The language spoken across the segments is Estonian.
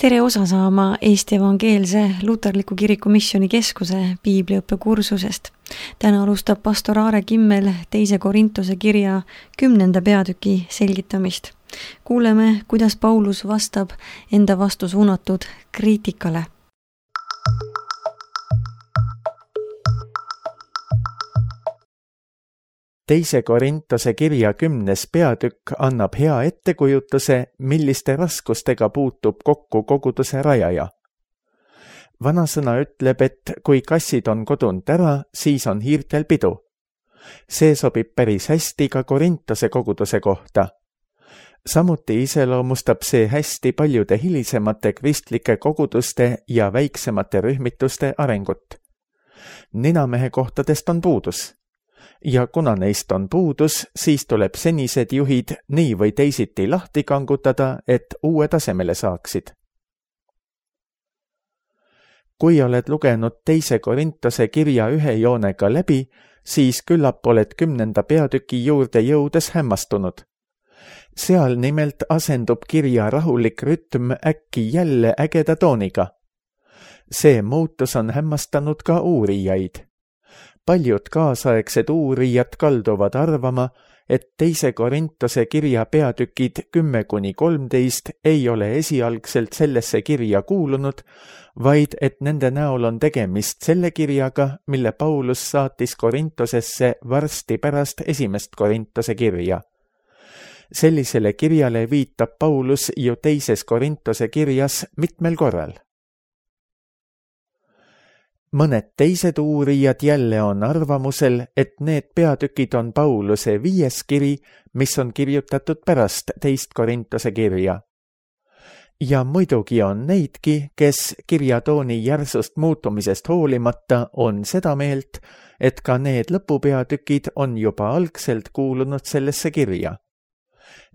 Tere osa saama Eesti Evangeelse Luterliku Kiriku Missioonikeskuse piibliõppekursusest. Täna alustab pastor Aare Kimmel 2. Korintuse kirja 10. peatüki selgitamist. Kuuleme, kuidas Paulus vastab enda vastu suunatud kriitikale. Teise Korintuse kirja 10. peatükk annab hea ettekujutuse, milliste raskustega puutub kokku koguduse rajaja. Vanasõna ütleb, et kui kassid on kodunud ära, siis on hiirtel pidu. See sobib päris hästi ka Korintuse koguduse kohta. Samuti iseloomustab see hästi paljude hilisemate kristlike koguduste ja väiksemate rühmituste arengut. Ninamehe kohtadest on puudus. Ja kuna neist on puudus, siis tuleb senised juhid nii või teisiti lahti kangutada, et uue tasemele saaksid. Kui oled lugenud 2. Korintuse kirja ühe joonega läbi, siis küllap oled 10. peatüki juurde jõudes hämmastunud. Seal nimelt asendub kirja rahulik rütm äkki jälle ägeda tooniga. See muutus on hämmastanud ka uurijaid. Paljud kaasaegsed uurijad kalduvad arvama, et 2. Korintuse kirja peatükid 10-13 ei ole esialgselt sellesse kirja kuulunud, vaid et nende näol on tegemist selle kirjaga, mille Paulus saatis Korintosesse varsti pärast 1. Korintuse kirja. Sellisele kirjale viitab Paulus ju 2. Korintuse kirjas mitmel korral. Mõned teised uurijad jälle on arvamusel, et need peatükid on Pauluse 5. kiri, mis on kirjutatud pärast 2. Korintuse kirja. Ja muidugi on neidki, kes kirjatooni järsust muutumisest hoolimata on seda meelt, et ka need lõpupeatükid on juba algselt kuulunud sellesse kirja.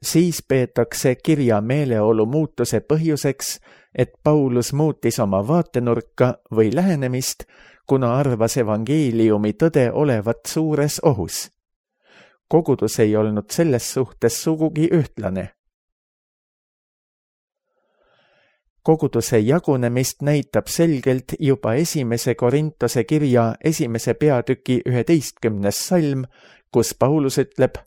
Siis peetakse kirja meeleolu muutuse põhjuseks, et Paulus muutis oma vaatenurka või lähenemist, kuna arvas evangeeliumi tõde olevat suures ohus. Kogudus ei olnud selles suhtes sugugi ühtlane. Koguduse jagunemist näitab selgelt juba 1. Korintuse kirja 1. peatüki 11. salm, kus Paulus ütleb: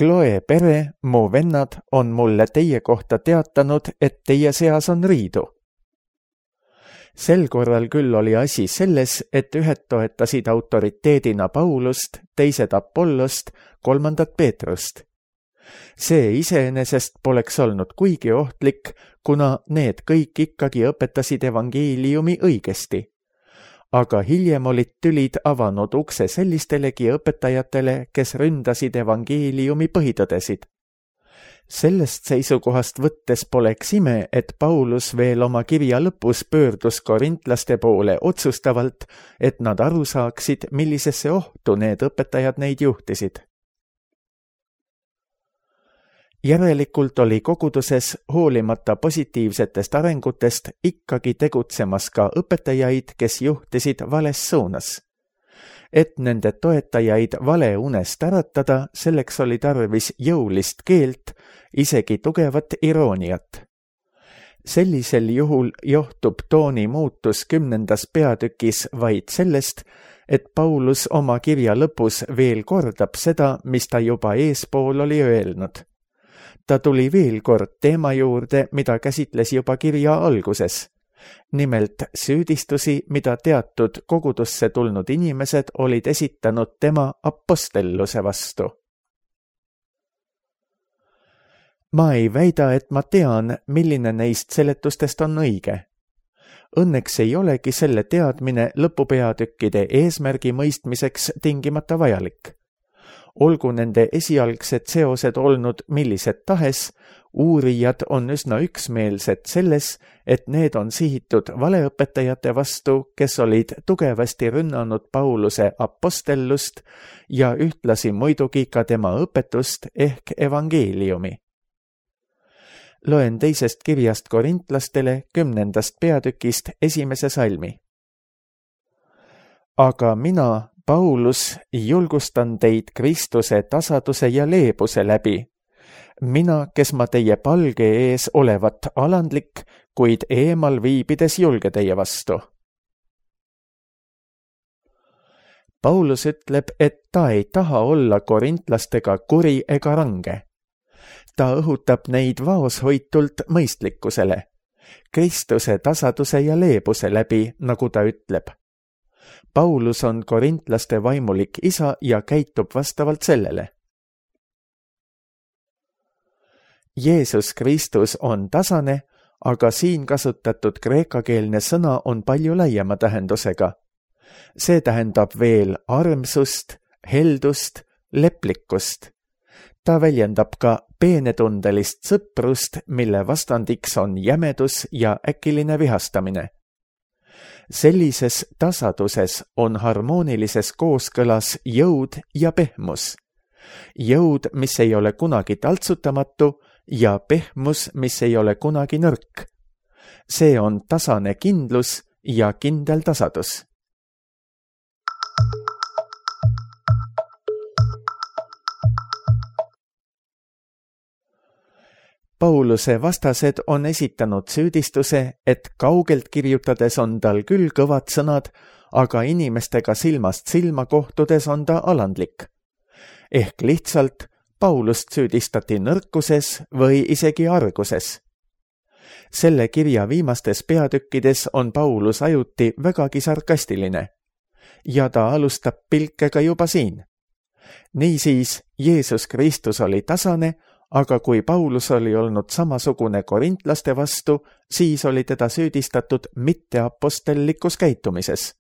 Chloe pere, mu vennad, on mulle teie kohta teatanud, et teie seas on riidu. Sel korral küll oli asi selles, et ühed toetasid autoriteedina Paulust, teised Apollost, 3. Peetrust. See iseenesest poleks olnud kuigi ohtlik, kuna need kõik ikkagi õpetasid evangeeliumi õigesti. Aga hiljem olid tülid avanud ukse sellistelegi õpetajatele, kes ründasid evangeeliumi põhitõdesid. Sellest seisukohast võttes poleks ime, et Paulus veel oma kirja lõpus pöördus korintlaste poole otsustavalt, et nad aru saaksid, millisesse ohtu need õpetajad neid juhtisid. Järelikult oli koguduses hoolimata positiivsetest arengutest ikkagi tegutsemas ka õpetajaid, kes juhtisid vales suunas. Et nende toetajaid vale unest äratada, selleks oli tarvis jõulist keelt, isegi tugevat irooniat. Sellisel juhul johtub tooni muutus 10. peatükis vaid sellest, et Paulus oma kirja lõpus veel kordab seda, mis ta juba eespool oli öelnud. Ta tuli veel kord teema juurde, mida käsitles juba kirja alguses. Nimelt süüdistusi, mida teatud kogudusse tulnud inimesed olid esitanud tema apostelluse vastu. Ma ei väida, et ma tean, milline neist seletustest on õige. Õnneks ei olegi selle teadmine lõpupeatükkide eesmärgi mõistmiseks tingimata vajalik. Olgu nende esialgsed seosed olnud millised tahes, uurijad on üsna üksmeelsed selles, et need on sihitud valeõpetajate vastu, kes olid tugevasti rünnanud Pauluse apostellust ja ühtlasi muidugi ka tema õpetust ehk evangeeliumi. Loen 2. kirjast korintlastele 10. peatükist 1. salmi. Aga mina, Paulus, julgustan teid Kristuse tasaduse ja leebuse läbi. mina, kes ma teie palge ees olevat alandlik, kuid eemal viibides julge teie vastu. Paulus ütleb, et ta ei taha olla korintlastega kuri ega range. Ta õhutab neid vaoshoitult mõistlikkusele, Kristuse tasaduse ja leebuse läbi, nagu ta ütleb. Paulus on korintlaste vaimulik isa ja käitub vastavalt sellele. Jeesus Kristus on tasane, aga siin kasutatud kreekakeelne sõna on palju laiema tähendusega. See tähendab veel armsust, heldust, leplikkust. Ta väljendab ka peenetundelist sõprust, mille vastandiks on jämedus ja äkiline vihastamine. Sellises tasaduses on harmoonilises kooskõlas jõud ja pehmus. Jõud, mis ei ole kunagi taltsutamatu, ja pehmus, mis ei ole kunagi nõrk. See on tasane kindlus ja kindel tasadus. Pauluse vastased on esitanud süüdistuse, et kaugelt kirjutades on tal küll kõvad sõnad, aga inimestega silmast silma kohtudes on ta alandlik. Ehk lihtsalt Paulust süüdistati nõrkuses või isegi arguses. Selle kirja viimastes peatükkides on Paulus ajuti vägagi sarkastiline ja ta alustab pilkega juba siin. Niisiis, Jeesus Kristus oli tasane, aga kui Paulus oli olnud samasugune korintlaste vastu, siis oli teda süüdistatud mitteapostellikus käitumises.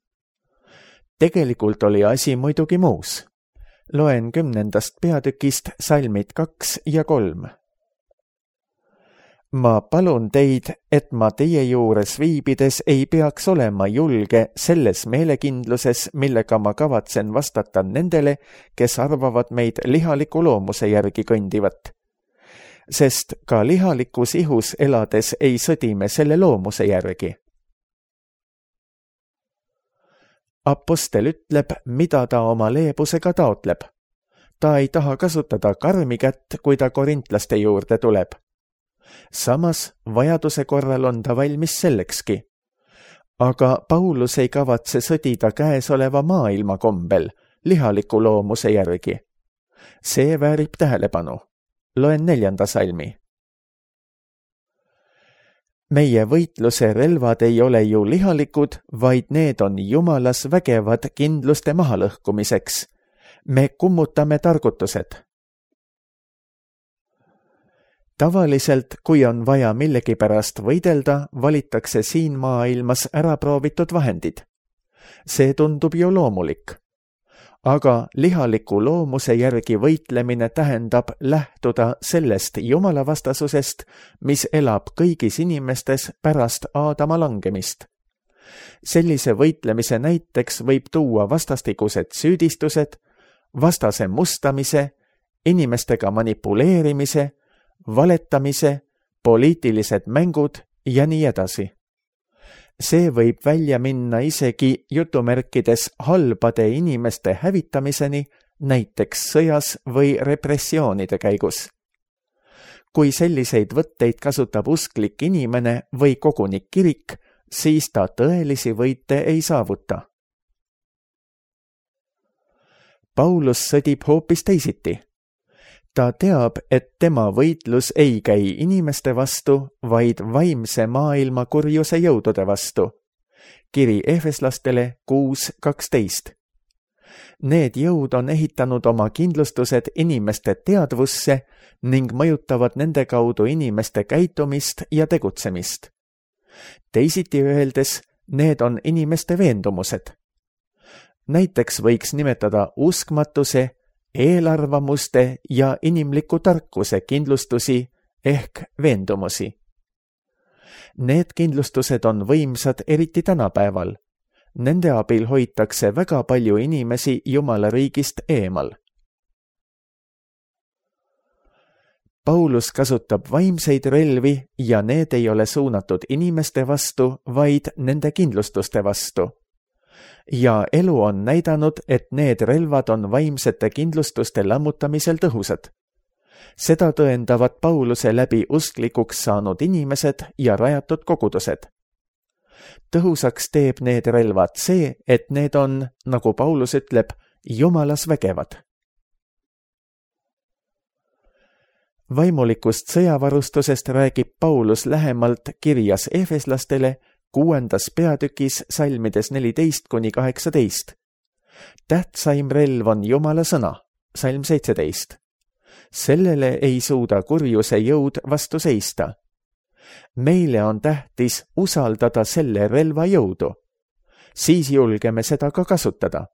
Tegelikult oli asi muidugi muus. Loen 10. peatükist salmid 2 ja 3. Ma palun teid, et ma teie juures viibides ei peaks olema julge selles meelekindluses, millega ma kavatsen vastata nendele, kes arvavad meid lihaliku loomuse järgi kõndivat. Sest ka lihalikus ihus elades ei sõdi me selle loomuse järgi. Apostel ütleb, mida ta oma leebusega taotleb. Ta ei taha kasutada karmi kätt, kui ta korintlaste juurde tuleb. Samas, vajaduse korral on ta valmis sellekski. Aga Paulus ei kavatse sõdida käesoleva maailma kombel, lihaliku loomuse järgi. See väärib tähelepanu. Loen 4. salmi. Meie võitluse relvad ei ole ju lihalikud, vaid need on Jumalas vägevad kindluste mahalõhkumiseks. Me kummutame targutused. Tavaliselt, kui on vaja millegipärast võidelda, valitakse siin maailmas äraproovitud vahendid. See tundub ju loomulik. Aga lihaliku loomuse järgi võitlemine tähendab lähtuda sellest jumalavastasusest, mis elab kõigis inimestes pärast Aadama langemist. Sellise võitlemise näiteks võib tuua vastastikused süüdistused, vastase mustamise, inimestega manipuleerimise, valetamise, poliitilised mängud ja nii edasi. See võib välja minna isegi jutumärkides halbade inimeste hävitamiseni, näiteks sõjas või repressioonide käigus. Kui selliseid võtteid kasutab usklik inimene või koguni kirik, siis ta tõelisi võite ei saavuta. Paulus sõdib hoopis teisiti. Ta teab, et tema võitlus ei käi inimeste vastu, vaid vaimse maailma kurjuse jõudude vastu. Kiri Efeslastele 6:12. Need jõud on ehitanud oma kindlustused inimeste teadvusse ning mõjutavad nende kaudu inimeste käitumist ja tegutsemist. Teisiti öeldes, need on inimeste veendumused. Näiteks võiks nimetada uskmatuse, eelarvamuste ja inimliku tarkuse kindlustusi ehk veendumusi. Need kindlustused on võimsad eriti tänapäeval. Nende abil hoitakse väga palju inimesi Jumala riigist eemal. Paulus kasutab vaimseid relvi ja need ei ole suunatud inimeste vastu, vaid nende kindlustuste vastu. Ja elu on näidanud, et need relvad on vaimsete kindlustuste lammutamisel tõhusad. Seda tõendavad Pauluse läbi usklikuks saanud inimesed ja rajatud kogudused. Tõhusaks teeb need relvad see, et need on, nagu Paulus ütleb, Jumalas vägevad. Vaimulikust sõjavarustusest räägib Paulus lähemalt kirjas Efeslastele 6. peatükis salmides 14–18. Tähtsaim relv on Jumala sõna, salm 17. Sellele ei suuda kurjuse jõud vastu seista. Meile on tähtis usaldada selle relva jõudu. Siis julgeme seda ka kasutada.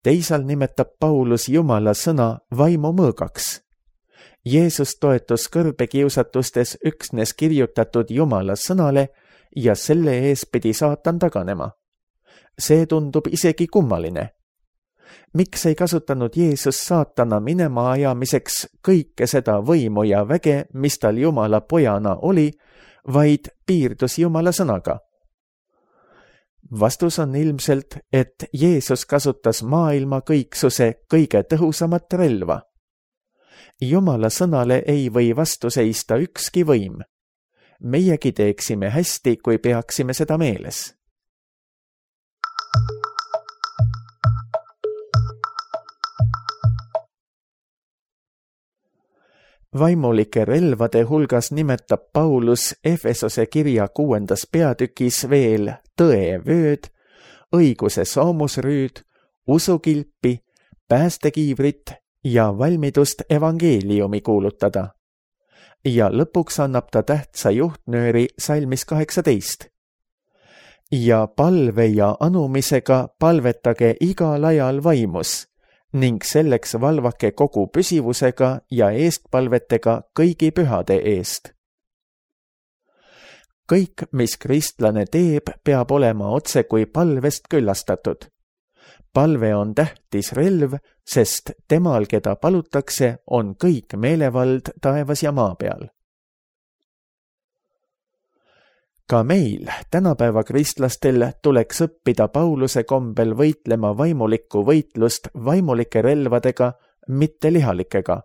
Teisal nimetab Paulus Jumala sõna vaimu mõõgaks. Jeesus toetus kõrbekiusatustes üksnes kirjutatud Jumala sõnale ja selle ees pidi saatan taganema. See tundub isegi kummaline. Miks ei kasutanud Jeesus saatana minema ajamiseks kõike seda võimu ja väge, mis tal Jumala pojana oli, vaid piirdus Jumala sõnaga? Vastus on ilmselt, et Jeesus kasutas maailma kõiksuse kõige tõhusamat relva. Jumala sõnale ei või vastu seista ükski võim. Meiegi teeksime hästi, kui peaksime seda meeles. Vaimulike relvade hulgas nimetab Paulus Efesose kirja 6. peatükis veel tõevööd, õiguse soomusrüüd, usukilpi, päästekiivrit ja valmidust evangeeliumi kuulutada. Ja lõpuks annab ta tähtsa juhtnööri salmis 18. Ja palve ja anumisega palvetage igal ajal vaimus ning selleks valvake kogu püsivusega ja eestpalvetega kõigi pühade eest. Kõik, mis kristlane teeb, peab olema otse kui palvest küllastatud. Palve on tähtis relv, sest temal, keda palutakse, on kõik meelevald taevas ja maa peal. Ka meil, tänapäeva kristlastel, tuleks õppida Pauluse kombel võitlema vaimulikku võitlust vaimulike relvadega, mitte lihalikega.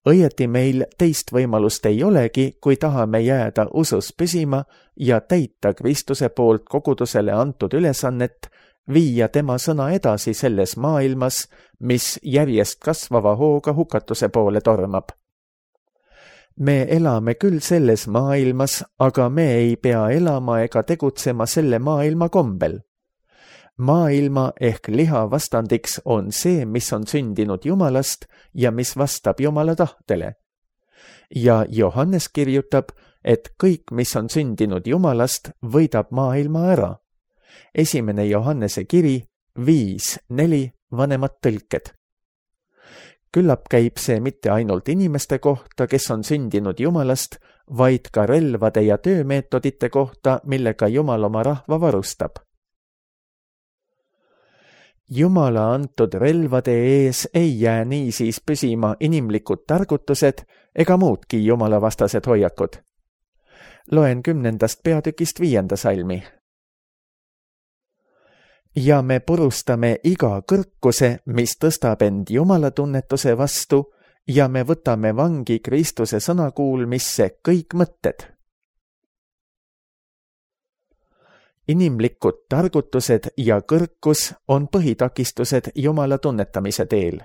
Õieti meil teist võimalust ei olegi, kui tahame jääda usus püsima ja täita Kristuse poolt kogudusele antud ülesannet, viia tema sõna edasi selles maailmas, mis järjest kasvava hooga hukatuse poole tormab. Me elame küll selles maailmas, aga me ei pea elama ega tegutsema selle maailma kombel. Maailma ehk liha vastandiks on see, mis on sündinud Jumalast ja mis vastab Jumala tahtele. Ja Johannes kirjutab, et kõik, mis on sündinud Jumalast, võidab maailma ära. 1. Johannese kiri 5:4 vanemad tõlked. Küllap käib see mitte ainult inimeste kohta, kes on sündinud Jumalast, vaid ka relvade ja töömeetodite kohta, millega Jumal oma rahva varustab. Jumala antud relvade ees ei jää niisiis püsima inimlikud targutused ega muudki jumalavastased hoiakud. Loen 10. peatükist 5. salmi. Ja me purustame iga kõrkuse, mis tõstab end Jumala tunnetuse vastu ja me võtame vangi Kristuse sõnakuulmisse kõik mõtted. Inimlikud targutused ja kõrkus on põhitakistused Jumala tunnetamise teel.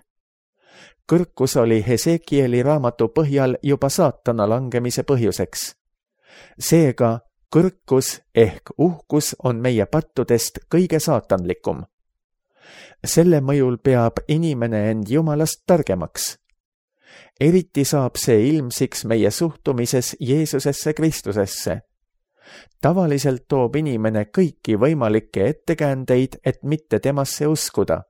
Kõrkus oli Hesekieli raamatu põhjal juba saatana langemise põhjuseks. Seega kõrkus ehk uhkus on meie pattudest kõige saatanlikum. Selle mõjul peab inimene end Jumalast targemaks. Eriti saab see ilmsiks meie suhtumises Jeesusesse Kristusesse. Tavaliselt toob inimene kõiki võimalikke ettekäändeid, et mitte temasse uskuda.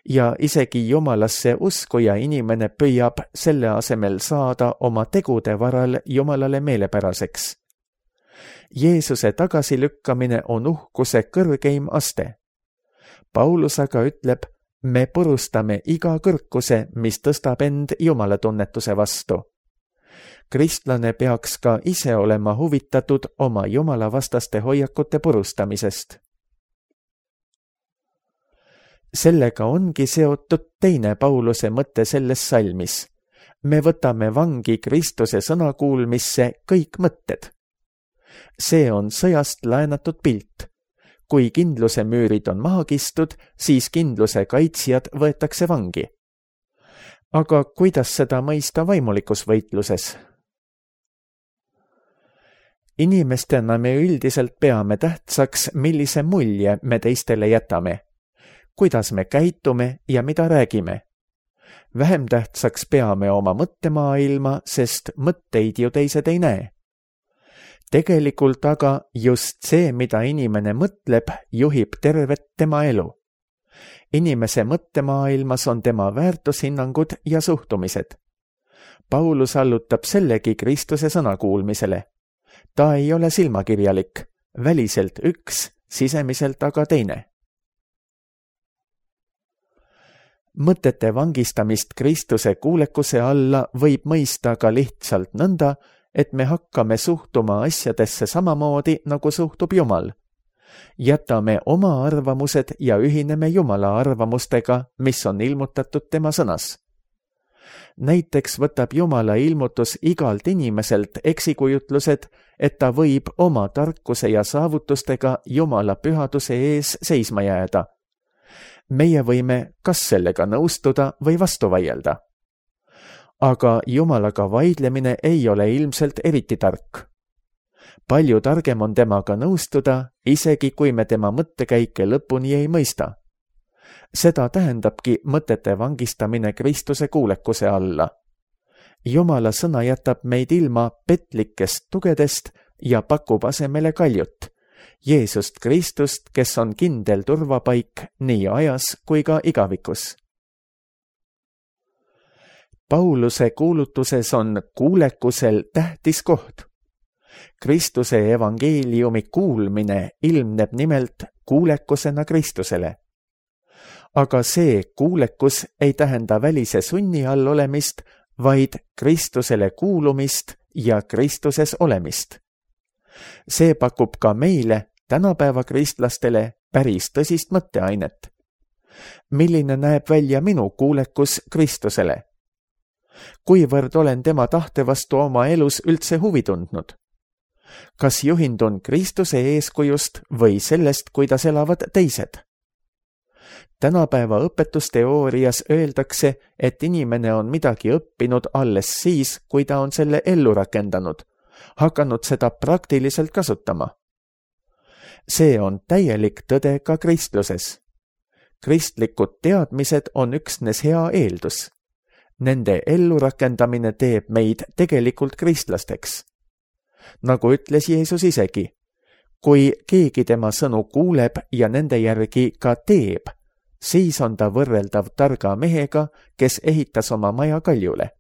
Ja isegi Jumalasse uskuja inimene püüab selle asemel saada oma tegude varal Jumalale meelepäraseks. Jeesuse tagasilükkamine on uhkuse kõrgeim aste. Paulus aga ütleb, me purustame iga kõrkuse, mis tõstab end Jumala tunnetuse vastu. Kristlane peaks ka ise olema huvitatud oma Jumala vastaste hoiakute purustamisest. Sellega ongi seotud teine Pauluse mõte selles salmis. Me võtame vangi Kristuse sõnakuulmisse kõik mõtted. See on sõjast laenatud pilt. Kui kindluse müürid on maha kistud, siis kindluse kaitsjad võetakse vangi. Aga kuidas seda mõista vaimulikus võitluses? Inimestena me üldiselt peame tähtsaks, millise mulje me teistele jätame, kuidas me käitume ja mida räägime. Vähem tähtsaks peame oma mõttemaailma, sest mõtteid ju teised ei näe. Tegelikult aga just see, mida inimene mõtleb, juhib tervet tema elu. Inimese mõttemaailmas on tema väärtushinnangud ja suhtumised. Paulus allutab sellegi Kristuse sõnakuulmisele. Ta ei ole silmakirjalik, väliselt üks, sisemiselt aga teine. Mõtete vangistamist Kristuse kuulekuse alla võib mõista ka lihtsalt nõnda, et me hakkame suhtuma asjadesse samamoodi, nagu suhtub Jumal. Jätame oma arvamused ja ühineme Jumala arvamustega, mis on ilmutatud tema sõnas. Näiteks võtab Jumala ilmutus igalt inimeselt eksikujutlused, et ta võib oma tarkuse ja saavutustega Jumala pühaduse ees seisma jääda. Meie võime kas sellega nõustuda või vastu vaielda. Aga Jumalaga vaidlemine ei ole ilmselt eriti tark. Palju targem on temaga nõustuda, isegi kui me tema mõttekäike lõpuni ei mõista. Seda tähendabki mõtete vangistamine Kristuse kuulekuse alla. Jumala sõna jätab meid ilma petlikest tugedest ja pakub asemele kaljut, Jeesust Kristust, kes on kindel turvapaik nii ajas kui ka igavikus. Pauluse kuulutuses on kuulekusel tähtis koht. Kristuse evangeeliumi kuulmine ilmneb nimelt kuulekusena Kristusele. Aga see kuulekus ei tähenda välise sunni all olemist, vaid Kristusele kuulumist ja Kristuses olemist. See pakub ka meile, tänapäeva kristlastele, päris tõsist mõtteainet. Milline näeb välja minu kuulekus Kristusele? Kuivõrd olen tema tahte vastu oma elus üldse huvi tundnud? Kas juhindun Kristuse eeskujust või sellest, kuidas elavad teised? Tänapäeva õpetusteoorias öeldakse, et inimene on midagi õppinud alles siis, kui ta on selle ellu rakendanud, hakanud seda praktiliselt kasutama. See on täielik tõde ka kristluses. Kristlikud teadmised on üksnes hea eeldus. Nende ellurakendamine teeb meid tegelikult kristlasteks. Nagu ütles Jeesus isegi, kui keegi tema sõnu kuuleb ja nende järgi ka teeb, siis on ta võrreldav targa mehega, kes ehitas oma maja kaljule.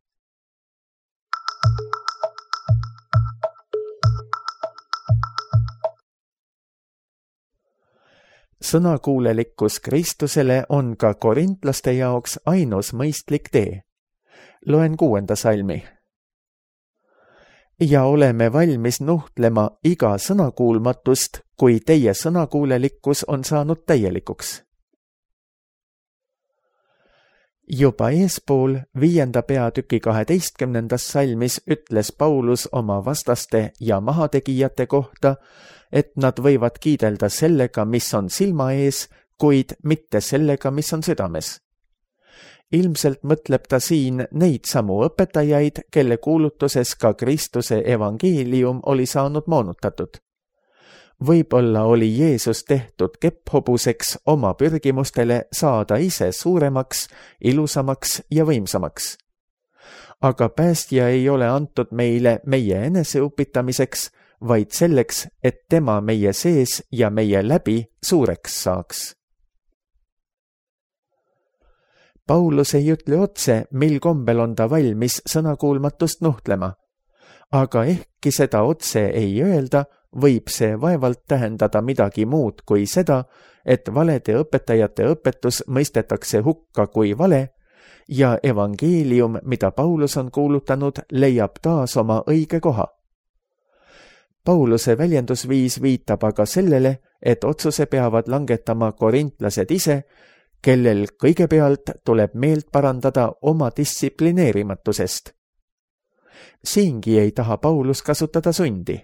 Sõnakuulelikkus Kristusele on ka korintlaste jaoks ainus mõistlik tee. Loen 6. salmi. Ja oleme valmis nuhtlema iga sõnakuulmatust, kui teie sõnakuulelikkus on saanud täielikuks. Juba eespool 5. peatüki 12. salmis ütles Paulus oma vastaste ja mahategijate kohta, et nad võivad kiidelda sellega, mis on silma ees, kuid mitte sellega, mis on südames. Ilmselt mõtleb ta siin neid samu õpetajaid, kelle kuulutuses ka Kristuse evangeelium oli saanud moonutatud. Võib-olla oli Jeesus tehtud kepphobuseks oma pürgimustele saada ise suuremaks, ilusamaks ja võimsamaks. Aga päästja ei ole antud meile meie eneseupitamiseks, vaid selleks, et tema meie sees ja meie läbi suureks saaks. Paulus ei ütle otse, mil kombel on ta valmis sõnakuulmatust nuhtlema, aga ehkki seda otse ei öelda, võib see vaevalt tähendada midagi muud kui seda, et valede õpetajate õpetus mõistetakse hukka kui vale ja evangeelium, mida Paulus on kuulutanud, leiab taas oma õige koha. Pauluse väljendusviis viitab aga sellele, et otsuse peavad langetama korintlased ise, kellel kõigepealt tuleb meelt parandada oma distsiplineerimatusest. Siingi ei taha Paulus kasutada sundi.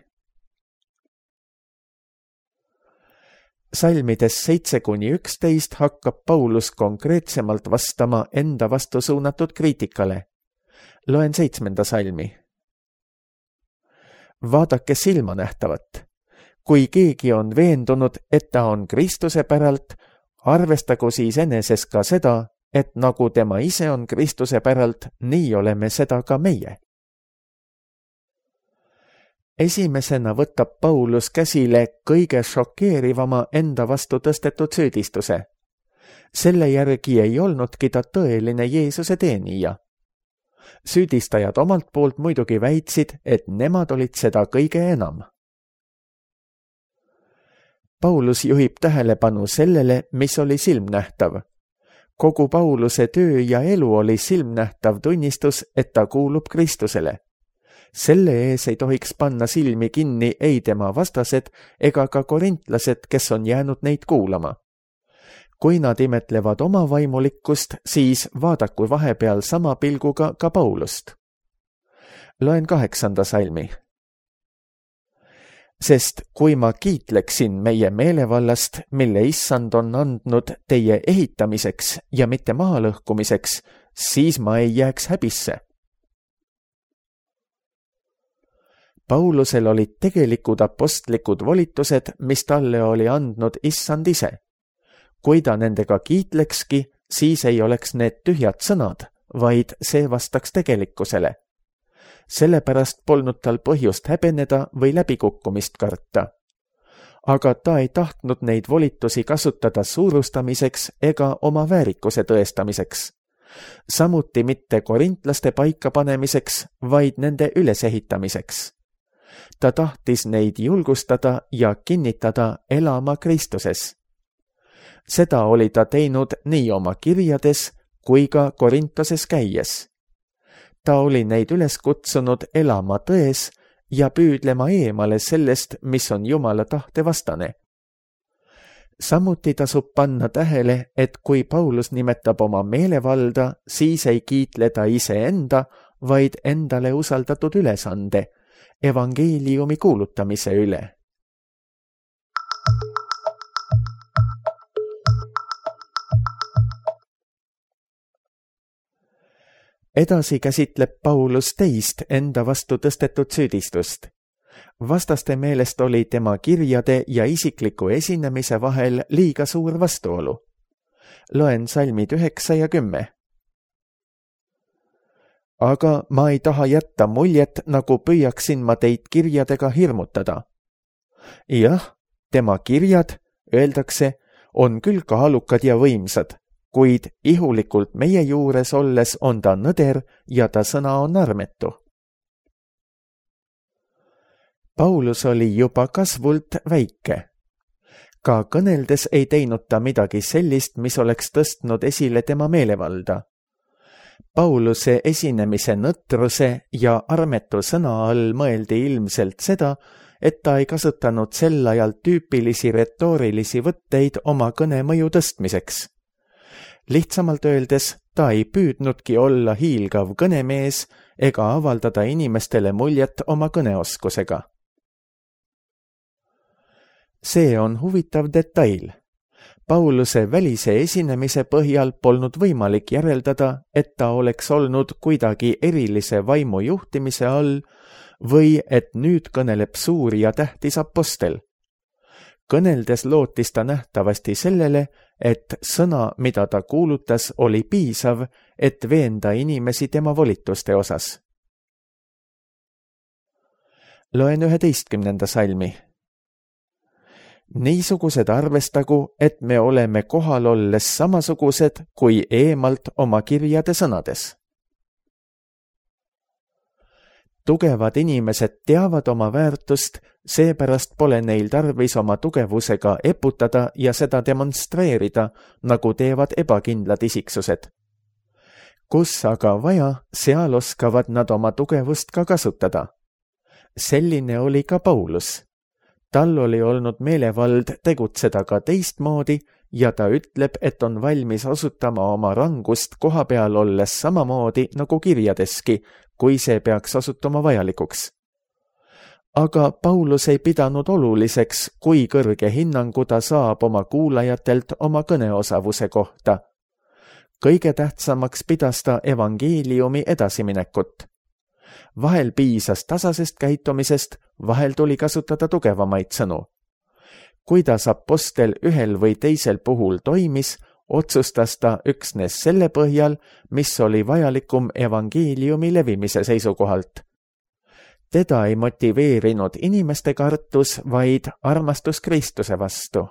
Salmides 7-11 hakkab Paulus konkreetsemalt vastama enda vastu suunatud kriitikale. Loen 7. salmi. Vaadake silmanähtavat. Kui keegi on veendunud, et ta on Kristuse päralt, arvestagu siis eneses ka seda, et nagu tema ise on Kristuse päralt, nii oleme seda ka meie. Esimesena võtab Paulus käsile kõige šokeerivama enda vastu tõstetud süüdistuse. Selle järgi ei olnudki ta tõeline Jeesuse teenija. Süüdistajad omalt poolt muidugi väitsid, et nemad olid seda kõige enam. Paulus juhib tähelepanu sellele, mis oli silmnähtav. Kogu Pauluse töö ja elu oli silmnähtav tunnistus, et ta kuulub Kristusele. Selle ees ei tohiks panna silmi kinni ei tema vastased ega ka korintlased, kes on jäänud neid kuulama. Kui nad imetlevad oma vaimulikkust, siis vaadaku vahepeal sama pilguga ka Paulust. Loen 8. salmi. Sest kui ma kiitleksin meie meelevallast, mille issand on andnud teie ehitamiseks ja mitte mahalõhkumiseks, siis ma ei jääks häbisse. Paulusel olid tegelikud apostlikud volitused, mis talle oli andnud issand ise. Kui ta nendega kiitlekski, siis ei oleks need tühjad sõnad, vaid see vastaks tegelikkusele. Sellepärast polnud tal põhjust häbeneda või läbikukkumist karta. Aga ta ei tahtnud neid volitusi kasutada suurustamiseks ega oma väärikuse tõestamiseks. Samuti mitte korintlaste paikapanemiseks, vaid nende ülesehitamiseks. Ta tahtis neid julgustada ja kinnitada elama Kristuses. Seda oli ta teinud nii oma kirjades kui ka Korintoses käies. Ta oli neid üles kutsunud elama tões ja püüdlema eemale sellest, mis on Jumala tahte vastane. Samuti tasub panna tähele, et kui Paulus nimetab oma meelevalda, siis ei kiitle ta iseenda, vaid endale usaldatud ülesande, evangeeliumi kuulutamise üle. Edasi käsitleb Paulus teist enda vastu tõstetud süüdistust. Vastaste meelest oli tema kirjade ja isikliku esinemise vahel liiga suur vastuolu. Loen salmid 9 ja 10. Aga ma ei taha jätta muljet, nagu püüaksin ma teid kirjadega hirmutada. Jah, tema kirjad, öeldakse, on küll kaalukad ja võimsad, kuid ihulikult meie juures olles on ta nõder ja ta sõna on armetu. Paulus oli juba kasvult väike. Ka kõneldes ei teinud ta midagi sellist, mis oleks tõstnud esile tema meelevalda. Pauluse esinemise nõtruse ja armetu sõna all mõeldi ilmselt seda, et ta ei kasutanud sel ajal tüüpilisi retoorilisi võtteid oma kõne mõju tõstmiseks. Lihtsamalt öeldes, ta ei püüdnudki olla hiilgav kõnemees ega avaldada inimestele muljet oma kõneoskusega. See on huvitav detail. Pauluse välise esinemise põhjal polnud võimalik järeldada, et ta oleks olnud kuidagi erilise vaimu juhtimise all või et nüüd kõneleb suur ja tähtis apostel. Kõneldes lootis ta nähtavasti sellele, et sõna, mida ta kuulutas, oli piisav, et veenda inimesi tema volituste osas. Loen 11. salmi. Niisugused arvestagu, et me oleme kohal olles samasugused kui eemalt oma kirjade sõnades. Tugevad inimesed teavad oma väärtust, seepärast pole neil tarvis oma tugevusega eputada ja seda demonstreerida, nagu teevad ebakindlad isiksused. Kus aga vaja, seal oskavad nad oma tugevust ka kasutada. Selline oli ka Paulus. Tal oli olnud meelevald tegutseda ka teistmoodi ja ta ütleb, et on valmis osutama oma rangust koha peal olles samamoodi nagu kirjadeski, kui see peaks osutuma vajalikuks. Aga Paulus ei pidanud oluliseks, kui kõrge hinnangu ta saab oma kuulajatelt oma kõneosavuse kohta. Kõige tähtsamaks pidas ta evangeeliumi edasiminekut. Vahel piisas tasasest käitumisest, vahel tuli kasutada tugevamaid sõnu. Kuidas apostel ühel või teisel puhul toimis, otsustas ta üksnes selle põhjal, mis oli vajalikum evangeeliumi levimise seisukohalt. Teda ei motiveerinud inimeste kartus, vaid armastus Kristuse vastu.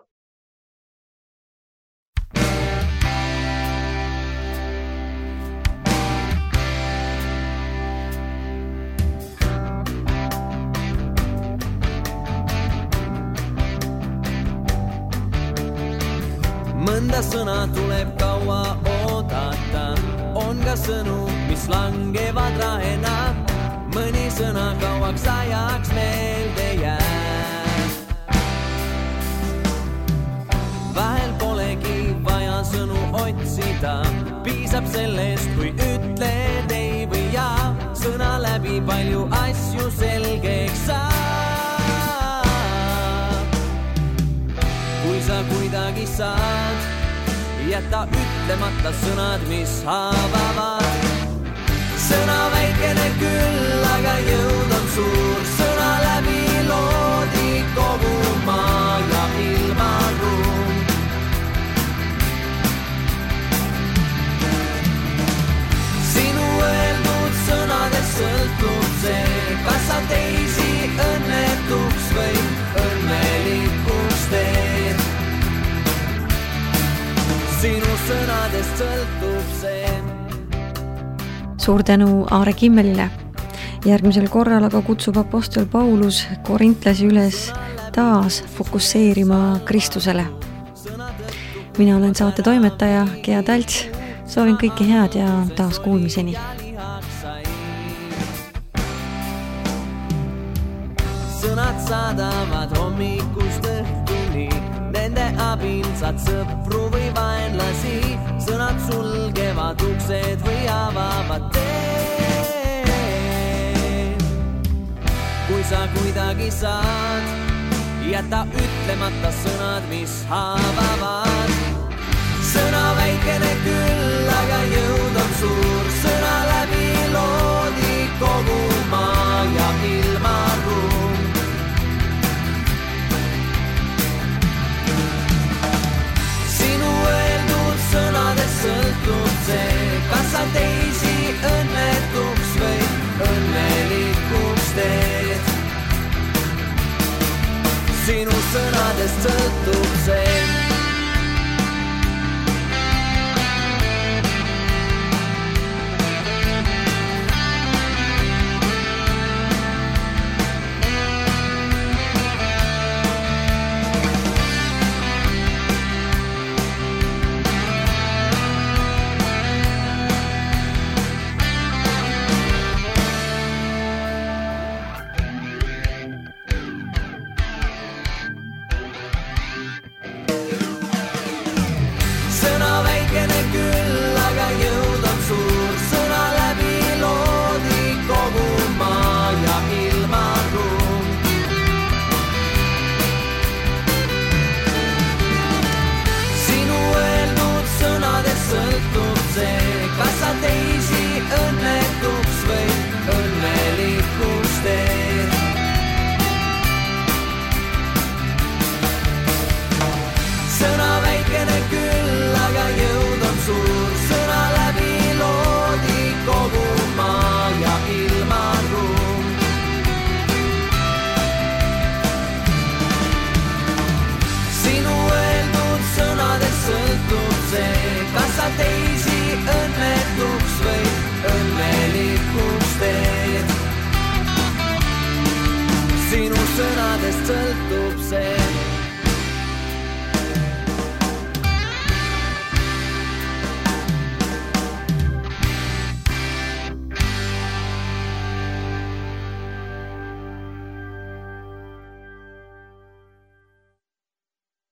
Mõnda sõna tuleb kaua oodata, on ka sõnu, mis langevad rahena, mõni sõna kauaks ajaks meelde jääb. Vahel polegi vaja sõnu otsida, piisab sellest, kui ütled ei või jaa, sõna läbi palju asju selgeks saab. Kui sa kuidagi saad, jäta ütlemata sõnad, mis haavavad. Sõna väikene küll, aga jõud on suur, sõna läbi loodi kogu maa ja ilmaruum. Sinu öeldud sõnadest sõltub see, kas sa teisi õnnetuks või õnnelikuks teed. Sinu sõnadest sõltub see. Suur tänu Aare Kimmelile. Järgmisel korral aga kutsub apostel Paulus korintlasi üles taas fokusseerima Kristusele. Mina olen saate toimetaja Gea Talts. Soovin kõike head ja taas kuulmiseni. Sõnad saadavad hommikust õhtuni, nende abil saad sõpru või vaenlasi, sõnad sulgevad uksed või avavad teed. Kui sa kuidagi saad, jäta ütlemata sõnad, mis haavavad. Sõna väikene küll, aga jõud on suur, sõna läbi loodi kogu maa ja ilmaruum. Sõnadest sõltub see, kas sa teisi õnnetuks või õnnelikuks teed. Sinu sõnadest sõltub see. Teisi õnnetuks või õnnelikuks teed. Sinu sõnadest sõltub see.